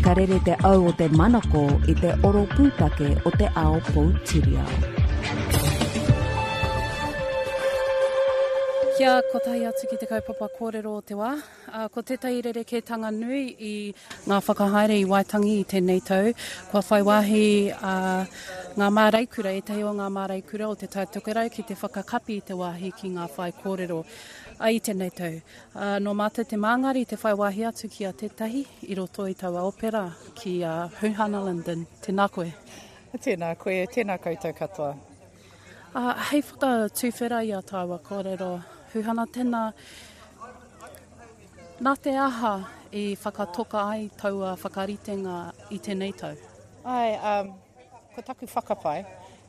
Ka rere te au o te manako i te oro pūtake o te ao poutiriao. Kia kotahi atu ki te kaupapa kōrero o te wā. Ko tētahi rerekētanga nui i ngā whakahaere i Waitangi i tēnei tau, kua whai wāhi ngā māreikura, ētahi o ngā māreikura o Te Tai Tokerau ki te whakakapi i te wāhi ki ngā whaikōrero i tēnei tau. Ā, nō mātou te māngari te whai wāhi atu ki a tētahi i roto i taua opera, ki a Huhana Lyndon. Tēnā koe. Tēnā koe, tēnā koutou katoa. Ā, hei whakatuwhera i a tāua kōrero, Huhana, tēnā, nā te aha i whakatoka ai taua whakaritenga i tēnei tau? Āe, ā, Ko taku whakapae,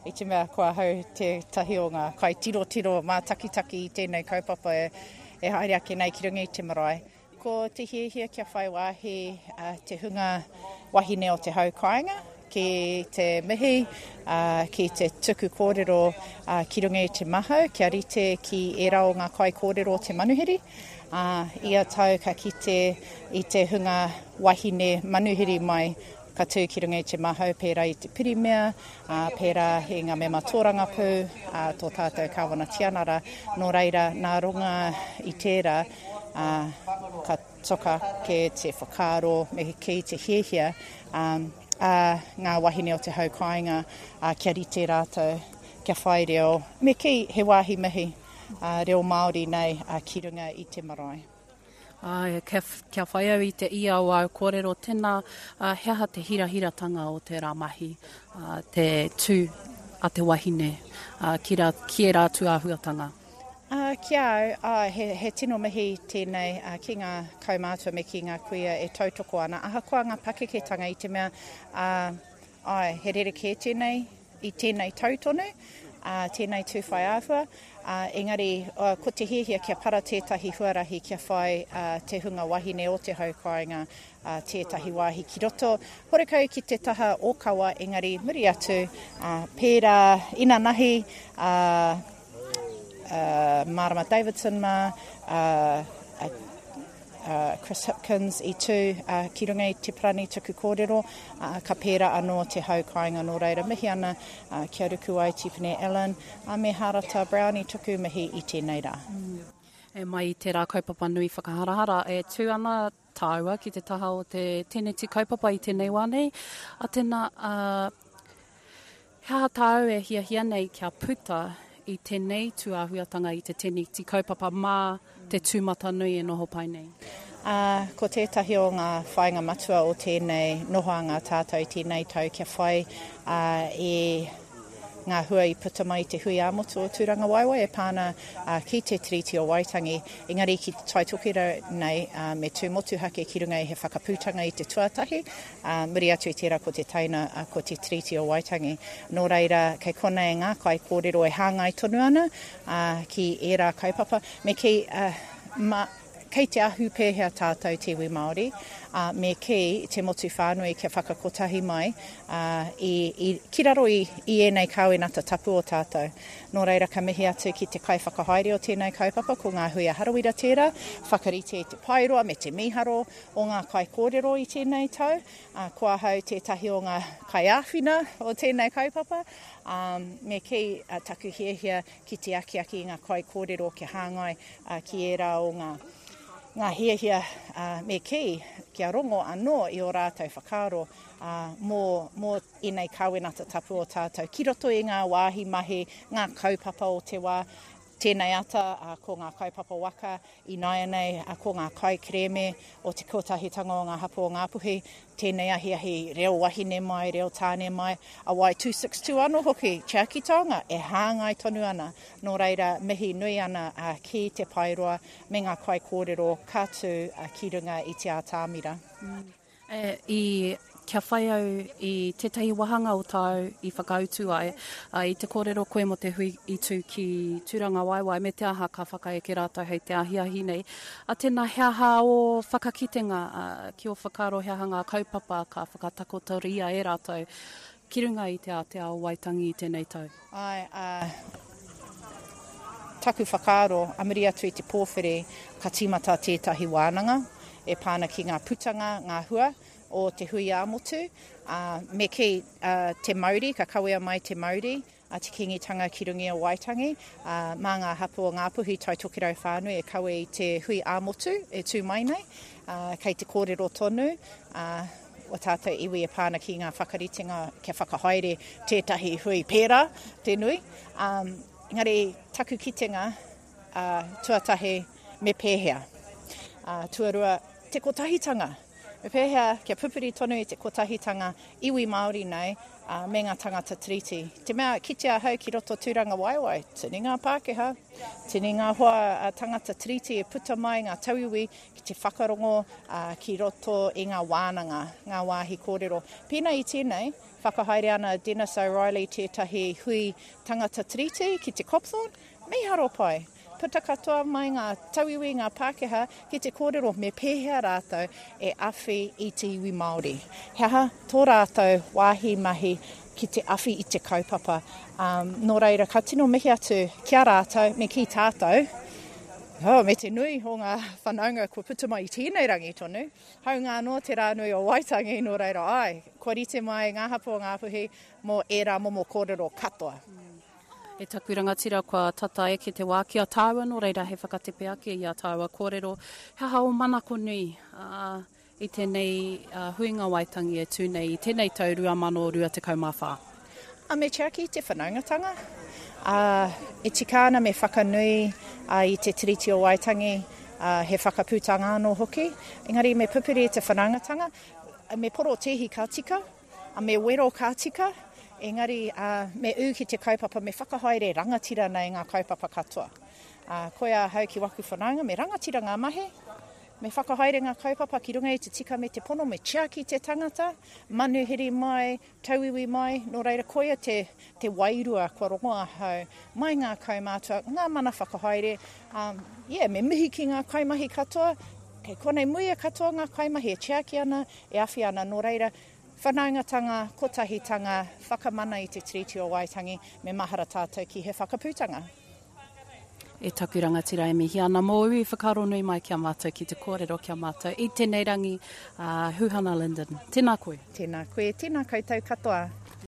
i te mea ko ahau tētahi o ngā kaitirotiro mātakitaki i tēnei kaupapa e haere ake nei ki runga i te marae, ko te hiahia kia whai wāhi te hunga wahine o te hau kāinga ki te mihi, ki te tuku kōrero ki runga i te mahau kia rite ki ērā o ngā kaikōrero o te manuhiri. Ia tau ka kite i te hunga wahine manuhiri mai Ka tū ki runga i te mahau pērā i te pirimia, ā, pērā i ngā mema tōrangapū, ā, tō tātou Kāwana Tianara. Nō reira, nā runga i tērā, ā, ka toka ake te whakaaro me kī te hiahia, ā, a ngā wahine o te hau kāinga, ā, kia rite rātou, kia whai reo, me kī he wāhi mihi, ā, reo Māori nei, ā, ki runga i te marae. Āe, kia, kia whai au i te ia o āu kōrero, tēnā, ā, he aha te hirahiratanga o tērā mahi, ā, te tū a te wahine, ā, ki rā, ki ērā atu āhuatanga? Ā, ki a au, āe, he, he tino mihi tēnei, ā, ki ngā kaumātua me ki ngā kuia e tautoko ana, ahakoa ngā pakeketanga i te mea, ā, āe, he rerekē tēnei i tēnei tau tonu, ā, tēnei tū whai āhua, ā, engari ko te hiahia kia para tētahi huarahi kia whai te hunga wahine o te hau kāinga tētahi wāhi ki roto, horekau ki te taha ōkawa, engari muri atu, ā, pērā inanahi, ā, ā, Marama Davidson mā, ā, ā, Chris Hipkins i tū ki runga i te parani tuku kōrero, ka pērā anō te hau kāinga nō reira mihi ana ki a Rukuwai Tipene Allen me Hārata Brown i tuku mihi i tēnei rā. E mai i tērā kaupapa nui whakaharahara e tū ana tāua ki te taha o te teneti kaupapa i tēnei wā nei, a tēnā, He aha tāu e hiahia nei kia puta i tenei tūāhuatanga i te teneti kaupapa mā te tūmatanui e noho pai nei? Ā, ko tētahi o ngā whāinga matua o tēnei nohoanga tātou i tēnei tau kia whai i ngā hua i puta mai i te hui ā-motu o Tūrangawaewae e pā ana ki te Tiriti o Waitangi, engari ki te Tai Tokerau nei me tū motuhake ki runga i he whakaputanga i te tuatahi, Ā, muri atu i tērā ko te teina, ā, ko te Tiriti o Waitangi. Nō reira, kei konei ngā kaikōrero e hāngai tonu ana, ā, ki ērā kaupapa. Me kī, ā, mā, kei te ahu pēhea tātou te iwi Māori, ā, me kī, te motu whānui kia whakakotahi mai, ā, i, i, ki raro i, i ēnei kāwenata tapu o tātou. Nō reira, ka mihi atu ki te kaiwhakahaere o tēnei kaupapa, ko Ngā Huia Harawira tērā, whakarite i te paeroa me te mīharo, o ngā kaikōrero i tēnei tau, ā, ko ahau tētahi o ngā kaiāwhina o tēnei kaupapa, ā, me kī, taku hiahia ki te akiaki i ngā kaikōrero kia hāngai ki ērā o ngā, ngā hiahia, ā, me kī, kia rongo anō i ō rātou whakaaro, ā, mō, mō ēnei kāwenata tapu o tātou ki roto i ngā wāhi mahi, ngā kaupapa o te wā. Tēnei ata, ā, ko ngā kaupapa waka, Ināianei, ko ngā kaikerēme o te Kotahitanga o ngā Hapū o Ngāpuhi, tēnei ahiahi reo wahine mai, reo tāne mai, a Wai 262 anō hoki, tiaki taonga, e hāngai tonu ana. Nō reira, mihi nui ana ki Te Paeroa me ngā kaikōrero ka tū ki runga i te ātamira. I, kia whai au i tētahi wāhanga o tāu i whakautu ai, ā, i te kōrero koe mō te hui i tū ki Tūrangawaewae me te aha ka whakaeke rātou hei te ahiahi nei. Ā, tēnā, he aha ō whakakitenga, ā, ki ō whakaaro he aha ngā kaupapa ka whakatakotoria e rātou ki runga i te ātea o Waitangi i tēnei tau? Āe, ā, taku whakaaro, a muri atu i te pōwhiri, ka tīmata tētahi wānanga e pā ana ki ngā putanga, ngā hua. o te hui ā-motu, ā, me kī, te mauri, ka kawea mai te mauri a te Kīngitanga ki runga i a Waitangi, ā, mā ngā hapū o Ngāpuhi, Tai Tokerau whānui e kawe i te hui ā-motu e tū mai nei, ā, kei te kōrero tonu, ā, o tātou iwi e pā ana ki ngā whakaritenga kia whakahaere tētahi hui pērā te nui. Ā, engari taku kitenga, ā, tuatahi, me pēhea? Ā, tuarua, te kotahitanga. Me pēhea kia pupuri tonu i te kotahitanga iwi Māori nei, ā, me ngā tangata Tiriti. Te mea, kite ahau ki roto Tūrangawaewae, tini ngā Pākehā, tini ngā hoa tangata Tiriti e puta mai ngā tauiwi ki te whakarongo, ā, ki roto i ngā wānanga, ngā wāhi kōrero. Pēnā i tēnei, whakahaere ana a Dennis O'Reilly tētahi hui tangata Tiriti ki te Copthorne, Mīharo pai! Puta katoa mai ngā tauiwi, ngā Pākehā ki te kōrero me pēhea rātou e awhi i te iwi Māori. He aha tō rātou wāhi mahi ki te awhi i te kaupapa. Nō reira, ka tino mihi atu ki a rātou me kī tātou, oh, me te nui o ngā whanaunga kua puta mai i tēnei rangi tonu, hāunga anō te rā nui o Waitangi, nō reira, āe, kua rite mai ngā hapū o Ngāpuhi mō ērā momo kōrero katoa. E taku rangatira kua tata eke te wā ki a tāua nō reira he whakatepe ake i a tāua kōrero he aha ō manako nui i tēnei huinga Waitangi e tū nei i tēnei tau 2024. A me tiaki i te whanaungatanga, ā, e tika ana me whakanui i te Tiriti o Waitangi, ā, he whakaputanga anō hoki, engari me pupuri i te whanaungatanga, me porotēhi ka tika, A me wero ka tika, engari me ū ki te kaupapa, me whakahaere rangatira nei ngā kaupapa katoa. Koia ahau ki waku whanaunga, me rangatira ngā mahi, me whakahaere ngā kaupapa ki runga i te tika me te pono, me tiaki te tangata, manuhiri mai, tauiwi mai, nō reira koia te, te wairua kua rongo ahau mai ngā kaumātua, ngā mana whakahaere, um, yeah, me mihi ki ngā kaimahi katoa, kei konei muia katoa ngā kaimahi e tiaki ana, e awhi ana, nō reira, Whanaungatanga, kotahitanga, whakamana i te Tiriti o Waitangi, me mahara tātou ki he whakaputanga. E taku rangatira e mihi ana mōu i whakaaro nui mai ki a mātou ki te kōrero ki a mātou i tēnei rangi, a Huhana Lyndon. Tēnā koe. Tēnā koe, tēnā koutou katoa.